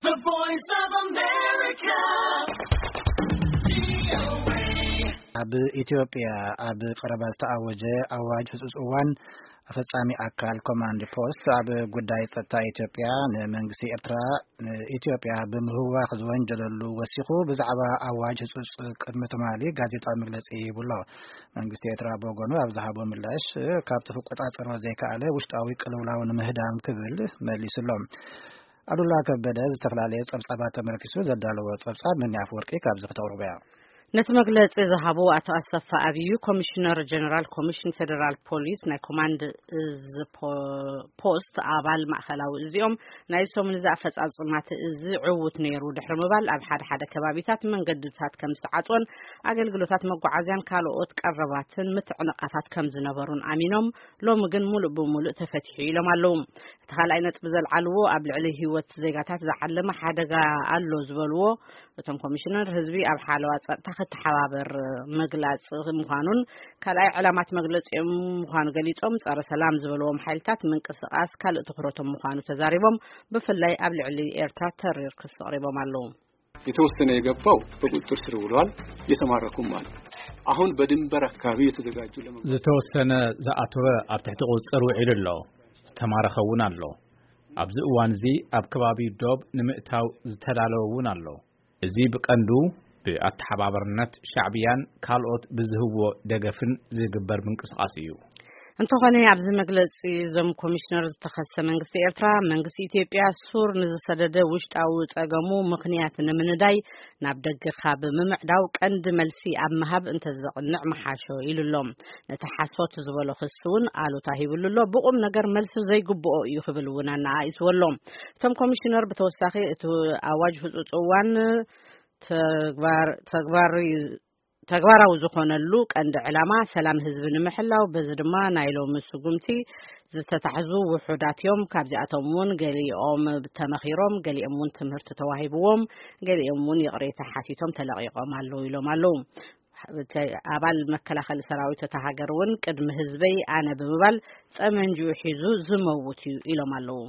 The Voice of America. ኣብ ኢትዮጵያ ኣብ ቀረባ ዝተኣወጀ ኣዋጅ ህጹጽ እዋን ኣፈጻሚ ኣካል ኮማንድ ፖስት ኣብ ጉዳይ ጸጥታ ኢትዮጵያ ንመንግስቲ ኤርትራ ንኢትዮጵያ ብምህዋኽ ዝወንጀለሉ ወሲኹ ብዛዕባ ኣዋጅ ህጹጽ ቅድሚ ትማሊ ጋዜጣዊ መግለጺ ሂቡ ኣሎ። መንግስቲ ኤርትራ ብወገኑ ኣብ ዝሃቦ ምላሽ ካብቲ ክቆጻጸሮ ዘይከኣለ ውሽጣዊ ቅልውላው ንምህዳም ክብል መሊሱ ኣሎ። ኣሉላ ከበደ ዝተፈላለየ ጸብጻባት ተመርኪሱ ዘዳለዎ ጸብጻብ ምኒ ኣፈወርቂ ካብዚ ክተቕርቦ እያ። ነቲ መግለጺ ዝሃቡ ኣቶ ኣሰፋ ኣብዩ፣ ኮሚሽነር ጀነራል ኮሚሽን ፌደራል ፖሊስ ናይ ኮማንድ እዝ ፖ-፣ ፖስት ኣባል ማእኸላዊ እዚኦም ናይ ሰሙን እዚ ኣፈጻጽማት እዚ ዕዉት ነይሩ ድሕሪ ምባል ኣብ ሓደ ሓደ ከባቢታት መንገድታት ከም ዝተዓጽወን ኣገልግሎታት መጓዓዝያን ካልኦት ቀረባትን ምትዕንቓፋት ከም ዝነበሩን ኣሚኖም ሎሚ ግን ሙሉእ ብሙሉእ ተፈቲሑ ኢሎም ኣለዉ። እቲ ካልኣይ ነጥቢ ዘልዓልዎ ኣብ ልዕሊ ህይወት ዜጋታት ዝዓለመ ሓደጋ ኣሎ ዝበልዎ እቶም ኮሚሽነር ህዝቢ ኣብ ሓለዋ ጸጥታ ክተሓባበር ምግላጽ ምዃኑን ካልኣይ ዕላማት መግለጺኦም ምዃኑ ገሊጾም ጸረ ሰላም ዝበልዎም ሓይልታት ምንቅስቓስ ካልእ ትኹረቶም ምዃኑ ተዛሪቦም ብፍላይ ኣብ ልዕሊ ኤርትራ ተሪር ክሲ ኣቕሪቦም ኣለዉ። የተወሰነ የገባው በቁጥጥር ስር ውሏል። የተማረኩም አሉ። አሁን በድንበር አካባቢ የተዘጋጁ ለመ- ዝተወሰነ ዝኣተወ ኣብ ትሕቲ ቁጽጽር ውዒሉ ኣሎ። ዝተማረኸ እውን ኣሎ። ኣብዚ እዋን እዚ ኣብ ከባቢ ዶብ ንምእታው ዝተዳለወ እውን ኣሎ። እዚ ብቀንዱ ብኣተሓባበርነት ሻዕብያን ካልኦት ብዝህብዎ ደገፍን ዝግበር ምንቅስቓስ እዩ። እንተኾነ ኣብዚ መግለጺ እዞም ኮሚሽነር ዝተኸሰ መንግስቲ ኤርትራ መንግስቲ ኢትዮጵያ ሱር ንዝሰደደ ውሽጣዊ ጸገሙ ምኽንያት ንምንዳይ ናብ ደገ ካብ ምምዕዳው ቀንዲ መልሲ ኣብ ምሃብ እንተዘቕንዕ ምሓሾ ኢሉ ኣሎ። ነቲ ሓሶት ዝበሎ ክሲ እውን ኣሉታ ሂብሉ ኣሎ። ብቑም ነገር መልሲ ዘይግብኦ እዩ ክብል እውን ኣነኣኢስዎ ኣሎ። እቶም ኮሚሽነር ብተወሳኺ እቲ ኣዋጅ ህጹጽ እዋን ተግባር-፣ ተግባር-፣ ተግባራዊ ዝኾነሉ ቀንዲ ዕላማ ሰላም ህዝቢ ንምሕላው፣ በዚ ድማ ናይ ሎሚ ስጉምቲ ዝተታሕዙ ውሑዳት እዮም። ካብዚኣቶም እውን ገሊኦም ተመኺሮም፣ ገሊኦም እውን ትምህርቲ ተዋሂብዎም፣ ገሊኦም እውን ይቕሬታ ሓቲቶም ተለቒቖም ኣለዉ ኢሎም ኣለዉ። እቲ ኣባል መከላኸሊ ሰራዊት እታ ሃገር እውን ቅድሚ ህዝበይ ኣነ ብምባል ጸመንጅኡ ሒዙ ዝመውት እዩ ኢሎም ኣለዉ።